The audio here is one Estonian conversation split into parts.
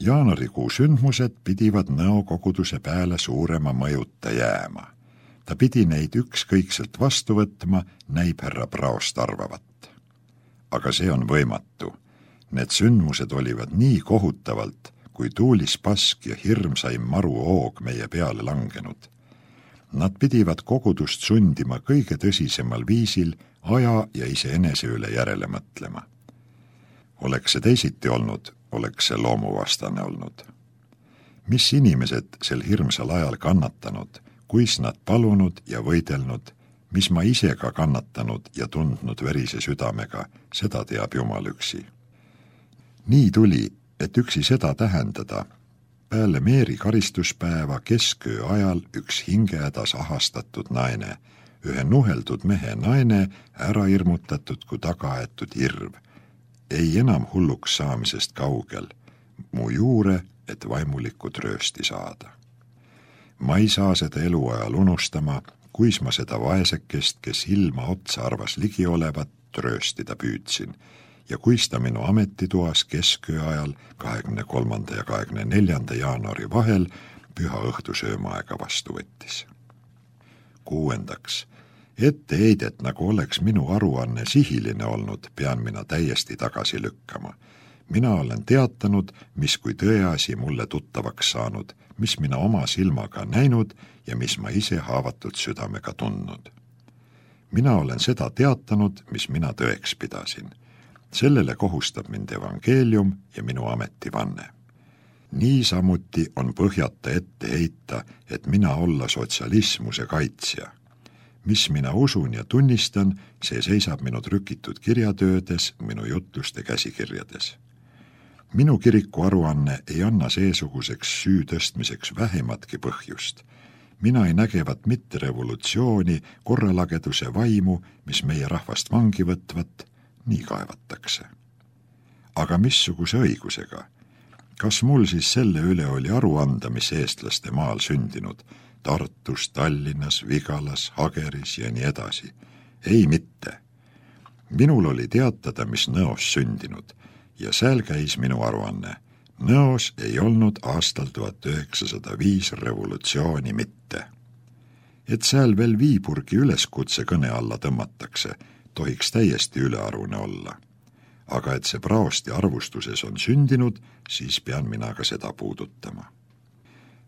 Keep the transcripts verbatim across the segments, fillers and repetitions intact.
Jaanuarikuu sündmused pidivad Nõo koguduse pääle suurema mõjuta jääma. Ta pidi neid ükskõikselt vastu võtma, näib härra Praost arvavat. Aga see on võimatu. Need sündmused olivad nii kohutavalt, kui tuulis pask ja hirmsaim maru oog meie peale langenud. Nad pidivad kogudust sundima kõige tõsisemal viisil aja ja iseenese üle järele mõtlema. Oleks see teisiti olnud, oleks see loomuvastane olnud. Mis inimesed sel hirmsal ajal kannatanud, kuis nad palunud ja võidelnud, mis ma ise ka kannatanud ja tundnud verise südamega, seda teab Jumal üksi. Nii tuli, et üksi seda tähendada, peale Meeri karistuspäeva kesköö ajal üks hingehädas ahastatud naine, ühe nuheldud mehe naine, ära irmutatud kui tagaetud hirv, ei enam hulluks saamisest kaugel, mu juure, et vaimulikud röösti saada. Ma ei saa seda eluajal unustama, kuis ma seda vaesekest, kes ilma otsa arvas ligi olevat, rööstida püüdsin, ja kuis ta minu ametitoas kesköö ajal kahekümne kolmanda ja kahekümne neljanda jaanuari vahel püha õhtusöömaaega vastu võttis. Kuuendaks, etteheidet, nagu oleks minu aruanne sihiline olnud, pean mina täiesti tagasi lükkama. Mina olen teatanud, mis kui tõeasi mulle tuttavaks saanud, mis mina oma silmaga näinud ja mis ma ise haavatud südamega tundnud. Mina olen seda teatanud, mis mina tõeks pidasin. Sellele kohustab mind evangeelium ja minu ametivanne. Nii samuti on põhjata ette heita, et mina olla sotsialismuse kaitsja. Mis mina usun ja tunnistan, see seisab minu trükitud kirjatöödes, minu jutluste käsikirjades. Minu kiriku aruanne ei anna seesuguseks süü tõstmiseks vähematki põhjust. Mina ei nägevat mitte revolutsiooni, korralageduse vaimu, mis meie rahvast vangi võtvat, nii kaevatakse. Aga missuguse õigusega? Kas mul siis selle üle oli aru anda, mis eestlaste maal sündinud, Tartus, Tallinnas, Vigalas, Hageris ja nii edasi? Ei mitte. Minul oli teatada, mis Nõos sündinud, ja seal käis minu aruanne. Nõos ei olnud aastal tuhat üheksasada viis revolutsiooni mitte. Et seal veel Viiburgi üleskutse kõne alla tõmmatakse, tohiks täiesti ülearune olla. Aga et see Praosti arvustuses on sündinud, siis pean mina ka seda puudutama.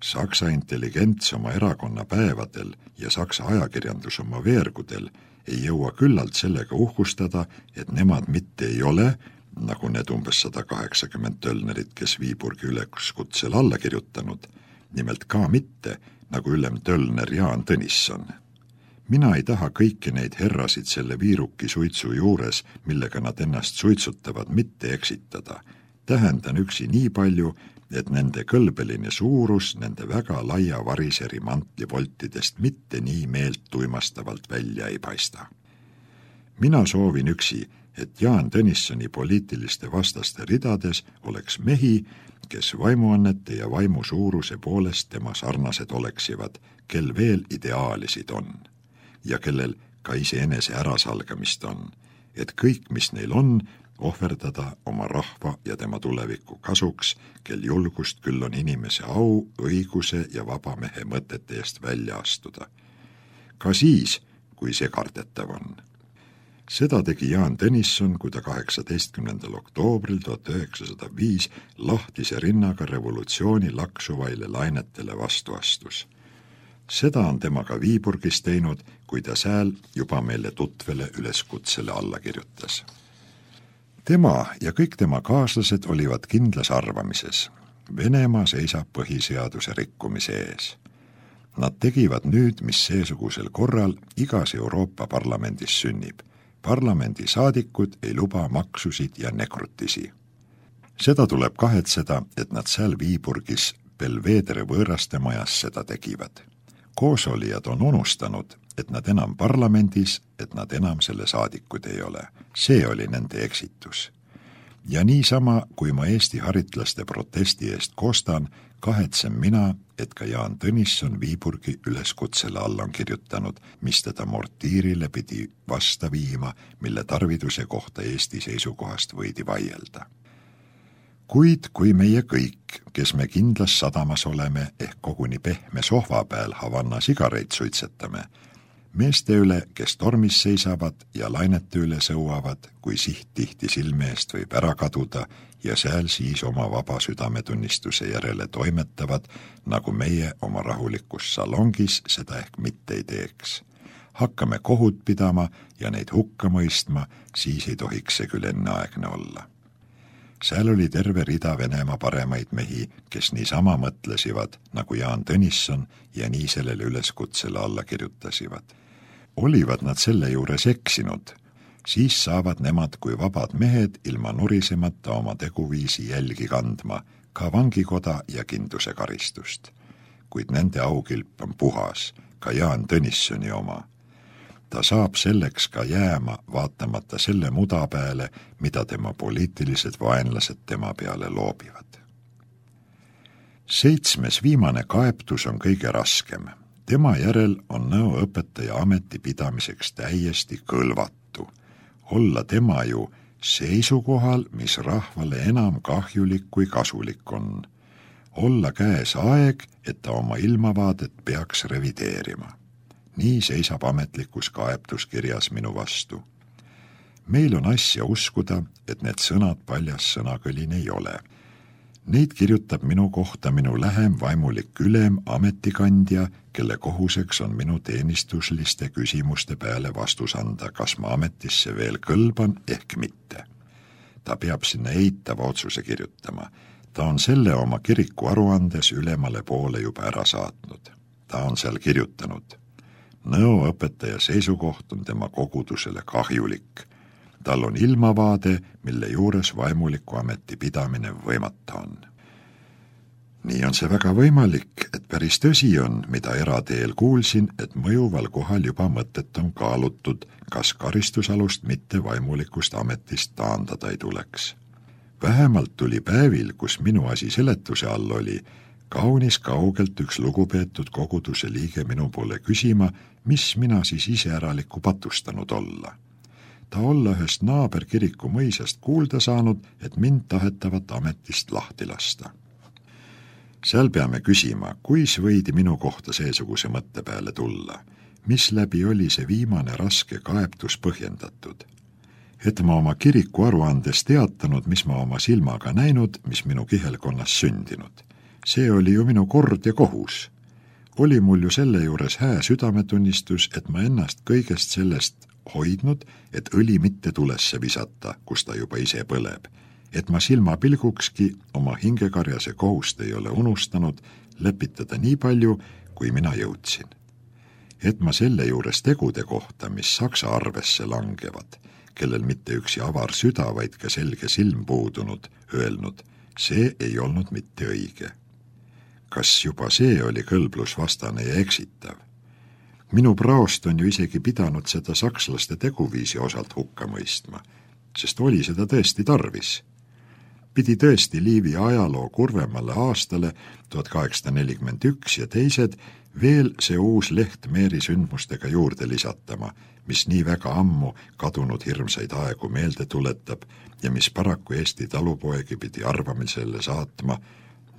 Saksa intelligents oma erakonna päevadel ja Saksa ajakirjandus oma veergudel ei jõua küllalt sellega uhkustada, et nemad mitte ei ole, nagu need umbes sada kaheksakümmend tölnerit, kes Viiburgi üleskutsel alla kirjutanud, nimelt ka mitte, nagu ülem tölner Jaan Tõnisson. Mina ei taha kõiki neid herrasid selle viiruki suitsu juures, millega nad ennast suitsutavad, mitte eksitada. Tähendan üksi nii palju, et nende kõlbeline suurus nende väga laia variseri mantlivoltidest mitte nii meelt tuimastavalt välja ei paista. Mina soovin üksi, et Jaan Tõnissoni poliitiliste vastaste ridades oleks mehi, kes vaimuannete ja vaimu suuruse poolest tema sarnased oleksivad, kel veel ideaalisid on ja kellel ka iseenese ärasalgamist on, et kõik, mis neil on, ohverdada oma rahva ja tema tuleviku kasuks, kel julgust küll on inimese au, õiguse ja vaba mehe mõtete eest välja astuda. Ka siis, kui see kardetav on. Seda tegi Jaan Tõnisson, kui ta kaheksateistkümnendal oktoobril tuhat üheksasada viis lahtise rinnaga revolutsiooni laksuvaile lainetele vastu astus. Seda on temaga Viiburgis teinud, kui ta sääl juba meile tutvele üleskutsele alla kirjutas. Tema ja kõik tema kaaslased olivad kindlas arvamises. Venemaa seisab põhiseaduse rikkumise ees. Nad tegivad nüüd, mis seesugusel korral igas Euroopa parlamendis sünnib. Parlamendi saadikud ei luba maksusid ja nekrutisi. Seda tuleb kahetseda, et nad seal Viiburgis Belvedere võõrastemajas seda tegivad. Koosolijad on unustanud, et nad enam parlamendis, et nad enam selle saadikud ei ole. See oli nende eksitus. Ja niisama, kui ma Eesti haritlaste protesti eest koostan, kahetsen mina, et ka Jaan Tõnisson Viiburgi üleskutsele alla on kirjutanud, mis teda mortiirile pidi vasta viima, mille tarviduse kohta Eesti seisukohast võidi vaielda. Kuid kui meie kõik, kes me kindlas sadamas oleme ehk koguni pehme sohva peal Havanna sigareid suitsetame, meeste üle, kes tormis seisavad ja lainete üle sõuavad, kui siht tihti silme eest võib ära kaduda ja seal siis oma vaba südametunnistuse järele toimetavad, nagu meie oma rahulikus salongis seda ehk mitte ei teeks. Hakkame kohut pidama ja neid hukka mõistma, siis ei tohiks see küll enneaegne olla. Seal oli terve rida Venemaa paremaid mehi, kes niisama mõtlesivad, nagu Jaan Tõnisson ja nii sellele üleskutsele alla kirjutasivad. Olivad nad selle juures eksinud, siis saavad nemad kui vabad mehed ilma nurisemata oma teguviisi jälgi kandma, ka vangikoda ja kindluse karistust. Kuid nende aukilp on puhas, ka Jaan Tõnissoni oma. Ta saab selleks ka jääma, vaatamata selle muda peale, mida tema poliitilised vaenlased tema peale loobivad. Seitsmes viimane kaebtus on kõige raskem. Tema järel on Nõo õpetaja ameti pidamiseks täiesti kõlvatu. Olla tema ju seisukohal, mis rahvale enam kahjulik kui kasulik on. Olla käes aeg, et ta oma ilmavaadet peaks revideerima. Nii seisab ametlikus kaebtuskirjas minu vastu. Meil on asja uskuda, et need sõnad paljas sõnakõlin ei ole. Neid kirjutab minu kohta minu lähem vaimulik ülem ametikandja, kelle kohuseks on minu teenistusliste küsimuste peale vastus anda, kas ma ametisse veel kõlban ehk mitte. Ta peab sinna eitava otsuse kirjutama. Ta on selle oma kiriku aruandes ülemale poole juba ära saatnud. Ta on seal kirjutanud. Nõo õpetaja seisukoht on tema kogudusele kahjulik. Tal on ilmavaade, mille juures vaimuliku ameti pidamine võimata on. Nii on see väga võimalik, et päris tõsi on, mida erateel kuulsin, et mõjuval kohal juba mõtet on kaalutud, kas karistusalust mitte vaimulikust ametist taandada ei tuleks. Vähemalt tuli päevil, kus minu asi seletuse all oli, kaunis kaugelt üks lugupeetud koguduse liige minu poole küsima, mis mina siis iseäralikku patustanud olla. Ta olla ühest naaberkiriku mõisast kuulda saanud, et mind tahetavat ametist lahti lasta. Seal peame küsima, kuis võidi minu kohta seesuguse mõtte peale tulla, mis läbi oli see viimane raske kaebtus põhjendatud. Et ma oma kiriku aruandes teatanud, mis ma oma silmaga näinud, mis minu kihelkonnas sündinud. See oli ju minu kord ja kohus. Oli mul ju selle juures hää südametunnistus, et ma ennast kõigest sellest hoidnud, et õli mitte tulesse visata, kus ta juba ise põleb. Et ma silmapilgukski oma hingekarjase kohust ei ole unustanud lepitada nii palju, kui mina jõudsin. Et ma selle juures tegude kohta, mis saksa arvesse langevad, kellel mitte üksi avar süda, vaid ka selge silm puudunud, öelnud, see ei olnud mitte õige. Kas juba see oli kõlblusvastane ja eksitav? Minu praost on ju isegi pidanud seda sakslaste teguviisi osalt hukka mõistma, sest oli seda tõesti tarvis. Pidi tõesti Liivi ajaloo kurvemale aastale tuhat kaheksasada nelikümmend üks ja teised veel see uus leht Meeri sündmustega juurde lisatama, mis nii väga ammu kadunud hirmsaid aegu meelde tuletab ja mis paraku Eesti talupoegi pidi arvamisele saatma,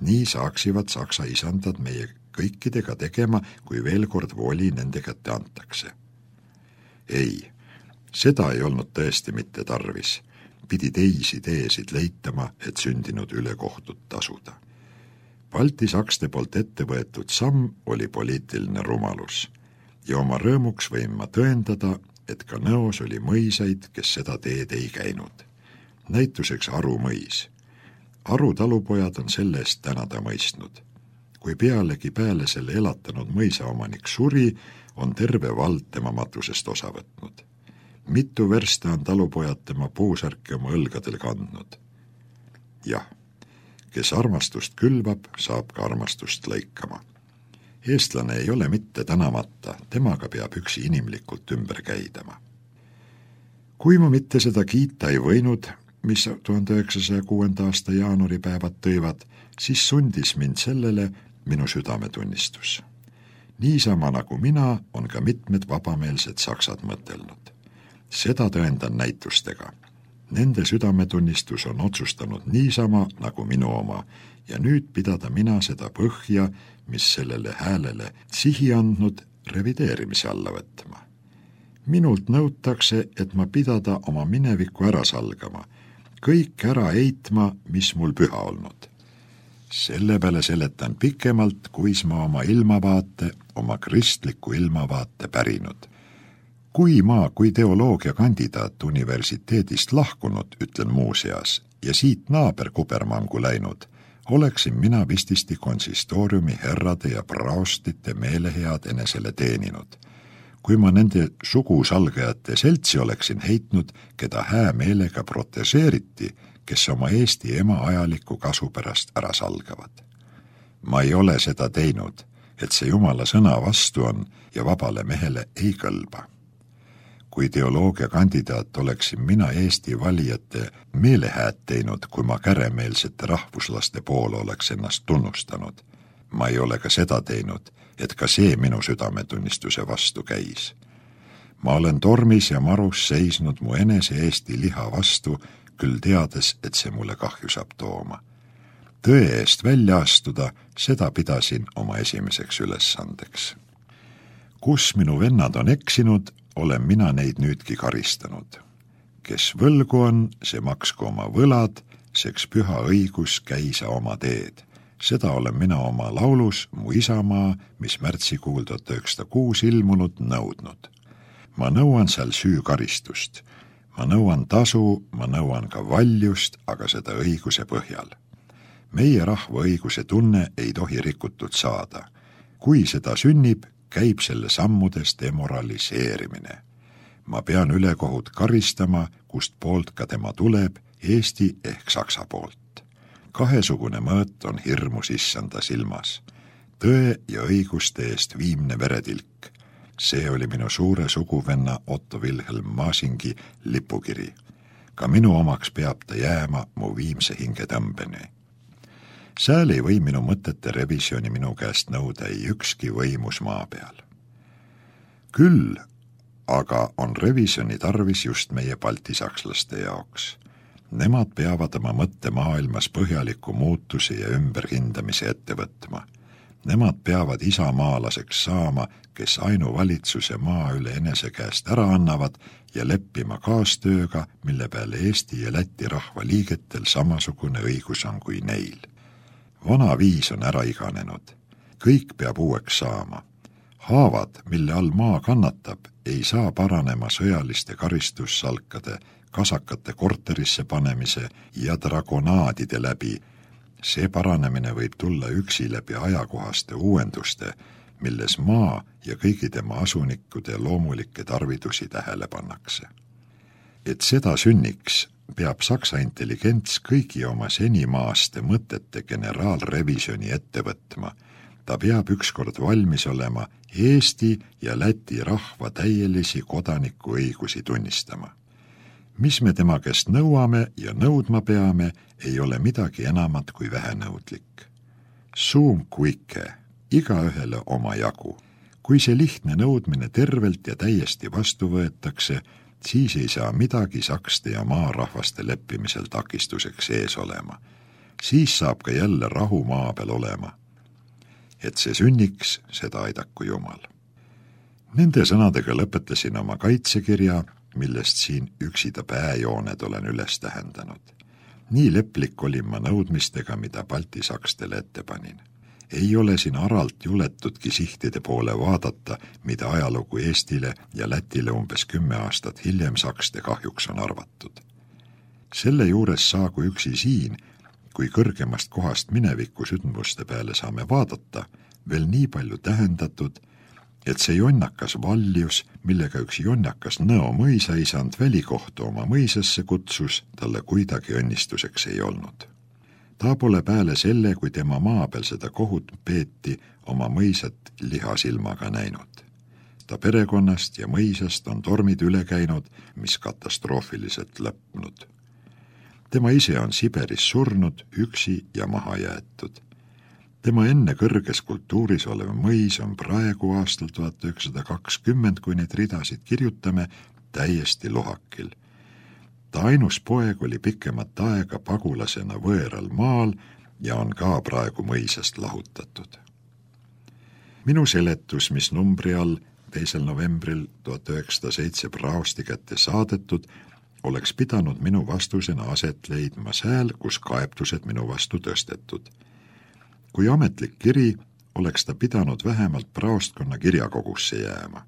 nii saaksivad saksa isandad meie kõikidega tegema, kui veel kord voli nende kätte antakse. Ei, seda ei olnud tõesti mitte tarvis. Pidi teisi teesid leitama, et sündinud üle kohtut tasuda. Balti sakste poolt ette võetud samm oli poliitiline rumalus ja oma rõõmuks võin ma tõendada, et ka Nõos oli mõisaid, kes seda teed ei käinud. Näituseks Aru mõis. Aru talupojad on selle eest tänada mõistnud. Kui pealegi peale selle elatanud mõisaomanik suri, on terve vald tema matusest osa võtnud. Mitu versta on talupojad tema puusärki oma õlgadel kandnud. Jah, kes armastust külvab, saab ka armastust lõikama. Eestlane ei ole mitte tänamata, temaga peab üksi inimlikult ümber käidama. Kui ma mitte seda kiita ei võinud, mis tuhande üheksasaja kuuenda aasta jaanuaripäevad tõivad, siis sundis mind sellele minu südametunnistus. Niisama nagu mina on ka mitmed vabameelsed saksad mõtelnud. Seda tõendan näitustega. Nende südametunnistus on otsustanud niisama nagu minu oma ja nüüd pidada mina seda põhja, mis sellele häälele sihi andnud, revideerimise alla võtma. Minult nõutakse, et ma pidada oma minevikku ära salgama, kõik ära eitma, mis mul püha olnud. Selle peale seletan pikemalt, kuis ma oma ilmavaate, oma kristliku ilmavaate pärinud. Kui ma, kui teoloogia kandidaat universiteedist lahkunud, ütlen muuseas, ja siit naaber kubermangu läinud, oleksin mina vististi konsistooriumi herrade ja praostite meelehead enesele teeninud. Kui ma nende sugusalgajate seltsi oleksin heitnud, keda hää meelega proteseeriti, kes oma Eesti ema ajaliku kasu pärast ära salgavad. Ma ei ole seda teinud, et see Jumala sõna vastu on ja vabale mehele ei kõlba. Kui teoloogia kandidaat oleksin mina Eesti valijate meelehääd teinud, kui ma käremeelsete rahvuslaste poole oleks ennast tunnustanud. Ma ei ole ka seda teinud, et ka see minu südametunnistuse vastu käis. Ma olen tormis ja marus seisnud mu enese Eesti liha vastu, küll teades, et see mulle kahju saab tooma. Tõe eest välja astuda, seda pidasin oma esimeseks ülesandeks. Kus minu vennad on eksinud, olen mina neid nüüdki karistanud. Kes võlgu on, see maksku oma võlad, seks püha õigus käisa oma teed. Seda olen mina oma laulus Mu isamaa, mis märtsikuul tuhat üheksasada kuus ilmunud, nõudnud. Ma nõuan seal süükaristust. Ma nõuan tasu, ma nõuan ka valjust, aga seda õiguse põhjal. Meie rahva õiguse tunne ei tohi rikutud saada. Kui seda sünnib, käib selle sammudest demoraliseerimine. Ma pean ülekohut karistama, kust poolt ka tema tuleb, Eesti ehk Saksa poolt. Kahesugune mõõt on hirmus issanda silmas. Tõe ja õiguste eest viimne veretilk. See oli minu suure suguvenna Otto Wilhelm Maasingi lipukiri. Ka minu omaks peab ta jääma mu viimse hingetõmbeni. Sääl ei või minu mõtete revisjoni minu käest nõuda ei ükski võimus maa peal. Küll aga on revisjoni tarvis just meie baltisakslaste jaoks. Nemad peavad oma mõtte maailmas põhjaliku muutusi ja ümberhindamise ette võtma. Nemad peavad isamaalaseks saama, kes ainuvalitsuse maa üle enese käest ära annavad ja leppima kaastööga, mille peale Eesti ja Läti rahva liigetel samasugune õigus on kui neil. Vana viis on ära iganenud. Kõik peab uueks saama. Haavad, mille all maa kannatab, ei saa paranema sõjaliste karistussalkade, kasakate korterisse panemise ja dragonaadide läbi. See paranemine võib tulla üksi läbi ajakohaste uuenduste, milles maa ja kõigi tema asunikkude loomulikke tarvidusi tähele pannakse. Et seda sünniks, peab Saksa intelligents kõigi oma senimaaste mõtete generaalrevisjoni ette võtma. Ta peab ükskord valmis olema Eesti ja Läti rahva täielisi kodanikuõigusi tunnistama. Mis me tema käest nõuame ja nõudma peame, ei ole midagi enamat kui vähenõudlik. Suum kuike, igaühele oma jagu. Kui see lihtne nõudmine tervelt ja täiesti vastu võetakse, siis ei saa midagi sakste ja maarahvaste leppimisel takistuseks ees olema. Siis saab ka jälle rahu maa peal olema. Et see sünniks, seda aidaku Jumal. Nende sõnadega lõpetasin oma kaitsekirja, millest siin üksida pääjooned olen üles tähendanud. Nii leplik olin ma nõudmistega, mida baltisakstele ette panin. Ei ole siin aralt juletudki sihtide poole vaadata, mida ajalugu Eestile ja Lätile umbes kümme aastat hiljem sakste kahjuks on arvatud. Selle juures saagu üksi siin, kui kõrgemast kohast mineviku sündmuste peale saame vaadata, veel nii palju tähendatud, et see jonnakas valjus, millega üks jonnakas Nõo mõisaisand välikohtu oma mõisasse kutsus, talle kuidagi õnnistuseks ei olnud. Ta pole pääle selle, kui tema maa peal seda kohut peeti, oma mõisat lihasilmaga näinud. Ta perekonnast ja mõisast on tormid üle käinud, mis katastroofiliselt lõpnud. Tema ise on Siberis surnud, üksi ja maha jäetud. Tema enne kõrges kultuuris olev mõis on praegu aastal tuhat üheksasada kakskümmend, kui need ridasid kirjutame, täiesti lohakil. Ta ainus poeg oli pikemat aega pagulasena võõral maal ja on ka praegu mõisast lahutatud. Minu seletus, mis numbri all teisel novembril tuhat üheksasada seitse praosti kätte saadetud, oleks pidanud minu vastusena aset leidma sääl, kus kaebtused minu vastu tõstetud. Kui ametlik kiri, oleks ta pidanud vähemalt praostkonna kirjakogusse jääma.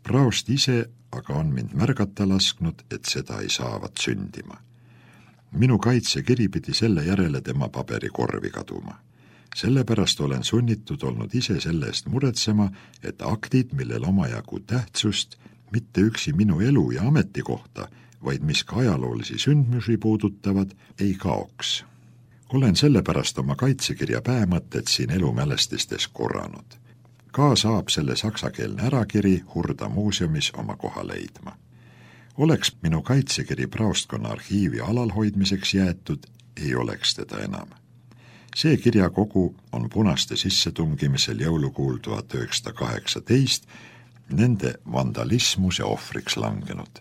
Praost ise aga on mind märgata lasknud, et seda ei saavat sündima. Minu kaitsekiri pidi selle järele tema paberikorvi kaduma. Sellepärast olen sunnitud olnud ise selle eest muretsema, et aktid, millel omajagu tähtsust, mitte üksi minu elu ja ametikohta, vaid mis ka ajaloolisi sündmusi puudutavad, ei kaoks. Olen sellepärast oma kaitsekirja päämõtted siin elumälestistes korranud. Ka saab selle saksakeelne ärakiri Hurda muuseumis oma koha leidma. Oleks minu kaitsekiri praostkonna arhiivi alalhoidmiseks jäetud, ei oleks teda enam. See kirjakogu on punaste sissetungimisel jõulukuul tuhat üheksasada kaheksateist nende vandalismuse ohvriks langenud.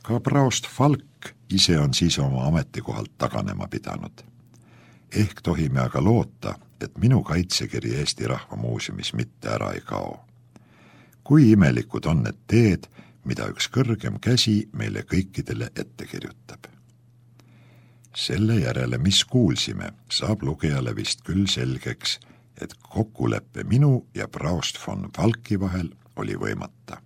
Ka praost Falk ise on siis oma ametikohalt taganema pidanud. Ehk tohime aga loota, et minu kaitsekiri Eesti Rahva Muuseumis mitte ära ei kao. Kui imelikud on need teed, mida üks kõrgem käsi meile kõikidele ette kirjutab. Selle järele, mis kuulsime, saab lugejale vist küll selgeks, et kokkuleppe minu ja praost von Falki vahel oli võimata.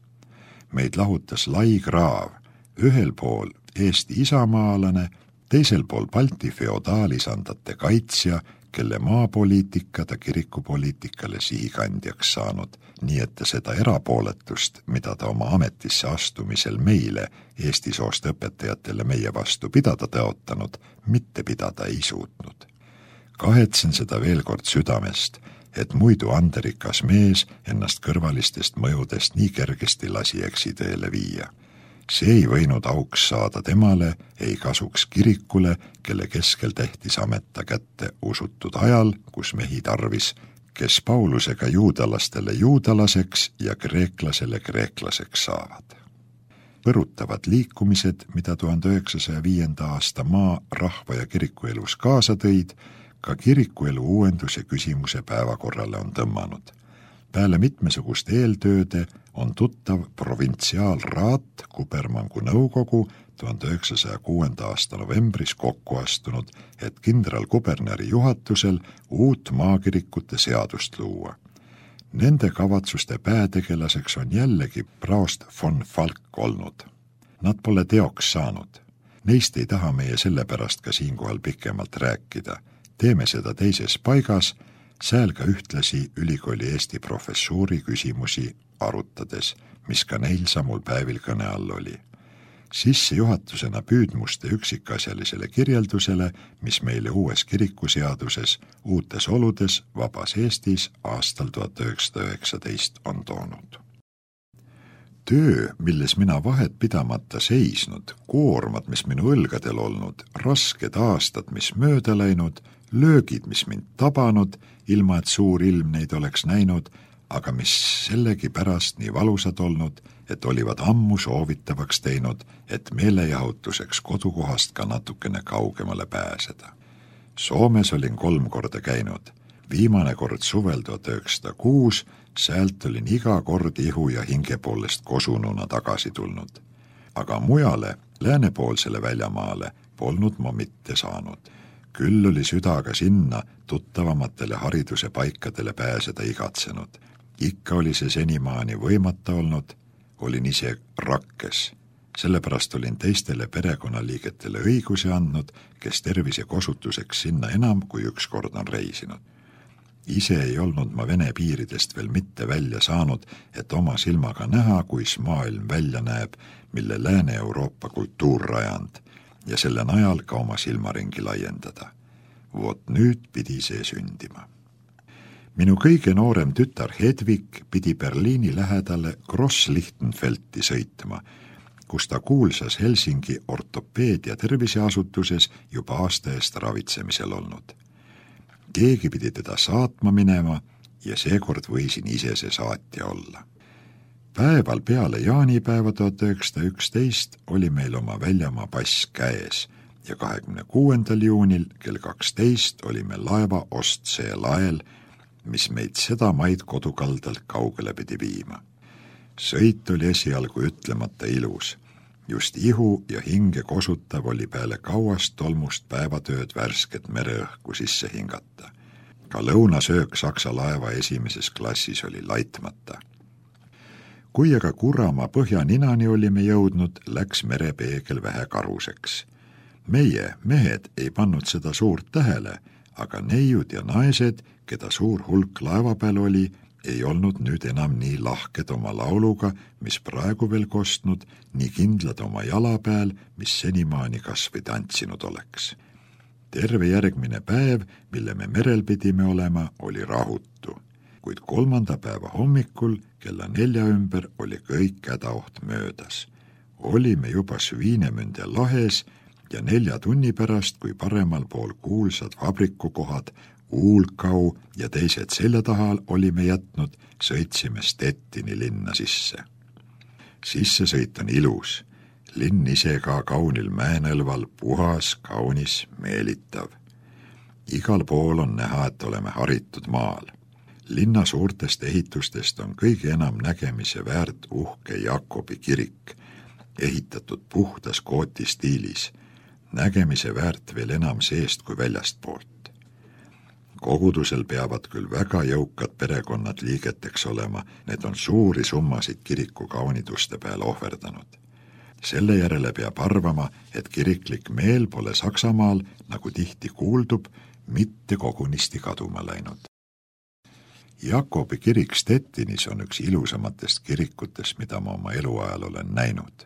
Meid lahutas lai kraav, ühel pool Eesti isamaalane, teisel pool Balti feodaalisandate kaitsja, kelle maapoliitika ta kirikupoliitikale sihikandjaks saanud, nii et ta seda erapooletust, mida ta oma ametisse astumisel meile, Eesti soost õpetajatele meie vastu pidada tõotanud, mitte pidada ei suutnud. Kahetsen seda veel kord südamest, et muidu anderikas mees ennast kõrvalistest mõjudest nii kergesti lasi eksiteele viia. See ei võinud auks saada temale, ei kasuks kirikule, kelle keskel tehtis ameta kätte usutud ajal, kus mehi tarvis, kes Paulusega juudalastele juudalaseks ja kreeklasele kreeklaseks saavad. Põrutavad liikumised, mida tuhande üheksasaja viienda aasta maa, rahva ja kirikuelus kaasa tõid, ka kirikuelu uuenduse küsimuse päevakorrale on tõmmanud. Peale mitmesugust eeltööde on tuttav provintsiaalraat Kubermangu nõukogu tuhande üheksasaja kuuenda aasta novembris kokku astunud, et kindral kuberneri juhatusel uut maakirikute seadust luua. Nende kavatsuste päätegelaseks on jällegi praost von Falk olnud. Nad pole teoks saanud. Neist ei taha meie sellepärast ka siinkohal pikemalt rääkida. Teeme seda teises paigas, sääl ka ühtlasi ülikooli Eesti professuuri küsimusi arutades, mis ka neil samul päevil kõne all oli. Sissejuhatusena püüdmuste üksikasjalisele kirjeldusele, mis meile uues kirikuseaduses, uutes oludes, vabas Eestis aastal tuhat üheksasada üheksateist on toonud. Töö, milles mina vahet pidamata seisnud, koormad, mis minu õlgadel olnud, rasked aastad, mis mööda läinud, löögid, mis mind tabanud, ilma et suur ilm neid oleks näinud, aga mis sellegi pärast nii valusad olnud, et olivad ammu soovitavaks teinud, et meelejahutuseks kodukohast ka natukene kaugemale pääseda. Soomes olin kolm korda käinud. Viimane kord suvel tuhat üheksasada kuus, säält olin iga kord ihu ja hinge poolest kosununa tagasi tulnud. Aga mujale, läänepoolsele väljamaale, polnud ma mitte saanud. Küll oli südaga sinna tuttavamatele hariduse paikadele pääseda igatsenud. Ikka oli see senimaani võimata olnud, olin ise rakkes. Sellepärast olin teistele perekonnaliigetele õiguse andnud, kes tervise kosutuseks sinna enam kui üks kord on reisinud. Ise ei olnud ma Vene piiridest veel mitte välja saanud, et oma silmaga näha, kuis maailm välja näeb, mille Lääne-Euroopa kultuur rajand, ja selle najal ka oma silmaringi laiendada. Vot nüüd pidi see sündima. Minu kõige noorem tütar Hedvig pidi Berliini lähedale Gross-Lichtenfeldti sõitma, kus ta kuulsas Helsingi ortopeedia terviseasutuses juba aasta eest ravitsemisel olnud. Keegi pidi teda saatma minema ja seekord võisin ise see saatja olla. Päeval peale jaanipäeva tuhat üheksasada üksteist oli meil oma väljamaa pass käes ja kahekümne kuuendal juunil kell kaksteist olime laeva Ostsee lael, mis meid seda maid kodukaldalt kaugele pidi viima. Sõit oli esialgu ütlemata ilus. Just ihu ja hinge kosutav oli peale kauast tolmust päevatööd värsket mereõhku sisse hingata. Ka lõunasöök Saksa laeva esimeses klassis oli laitmata. Kui aga Kuramaa põhjaninani olime jõudnud, läks merepeegel vähe karuseks. Meie, mehed, ei pannud seda suurt tähele, aga neiud ja naised, keda suur hulk laeva peal oli, ei olnud nüüd enam nii lahked oma lauluga, mis praegu veel kostnud, nii kindlad oma jala peal, mis senimaani kas või tantsinud oleks. Terve järgmine päev, mille me merel pidime olema, oli rahutu, kuid kolmanda päeva hommikul kella nelja ümber oli kõik hädaoht möödas. Olime juba Sviinemünde lahes ja nelja tunni pärast, kui paremal pool kuulsad vabrikukohad Uulkau ja teised selja taha olime jätnud, sõitsime Stettini linna sisse. Sissesõit on ilus, linn ise ka kaunil mäenõlval, puhas, kaunis, meelitav. Igal pool on näha, et oleme haritud maal. Linna suurtest ehitustest on kõige enam nägemise väärt uhke Jakobi kirik, ehitatud puhtas kooti stiilis, nägemise väärt veel enam seest kui väljast poolt. Kogudusel peavad küll väga jõukad perekonnad liigeteks olema, need on suuri summasid kiriku kauniduste peale ohverdanud. Selle järele peab arvama, et kiriklik meel pole Saksamaal, nagu tihti kuuldub, mitte kogunisti kaduma läinud. Jakobi kirik Stettinis on üks ilusamatest kirikutest, mida ma oma eluajal olen näinud.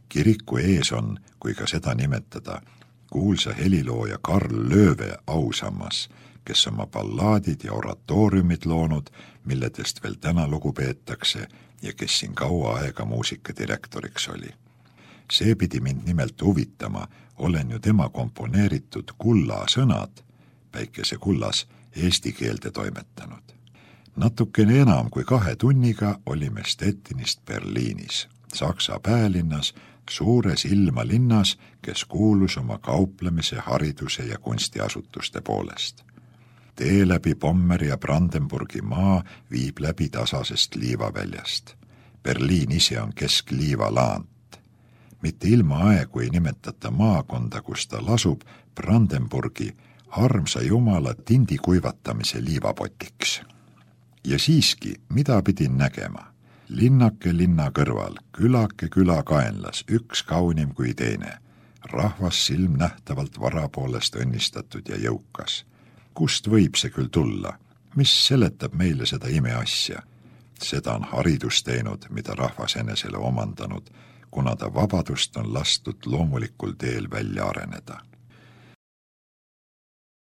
Kiriku ees on, kui ka seda nimetada, kuulsa helilooja Karl Lööve ausammas, kes oma ballaadid ja oratooriumid loonud, milledest veel täna lugu peetakse ja kes siin kaua aega muusikadirektoriks oli. See pidi mind nimelt huvitama, olen ju tema komponeeritud kulla sõnad, päikese kullas, eesti keelde toimetanud. Natukene enam kui kahe tunniga olime Stettinist Berliinis, Saksa päälinnas, suures ilmalinnas, kes kuulus oma kauplemise, hariduse ja kunstiasutuste poolest. Tee läbi Pommeri ja Brandenburgi maa viib läbi tasasest liivaväljast. Berliin ise on kesk liivalaant. Mitte ilma aegu ei nimetata maakonda, kus ta lasub, Brandenburgi armsa jumala tindi kuivatamise liivapotiks. Ja siiski, mida pidin nägema? Linnake linna kõrval, külake küla kaenlas, üks kaunim kui teine. Rahvas silm nähtavalt varapoolest õnnistatud ja jõukas. Kust võib see küll tulla? Mis seletab meile seda imeasja? Seda on haridus teinud, mida rahvas enesele omandanud, kuna ta vabadust on lastud loomulikul teel välja areneda.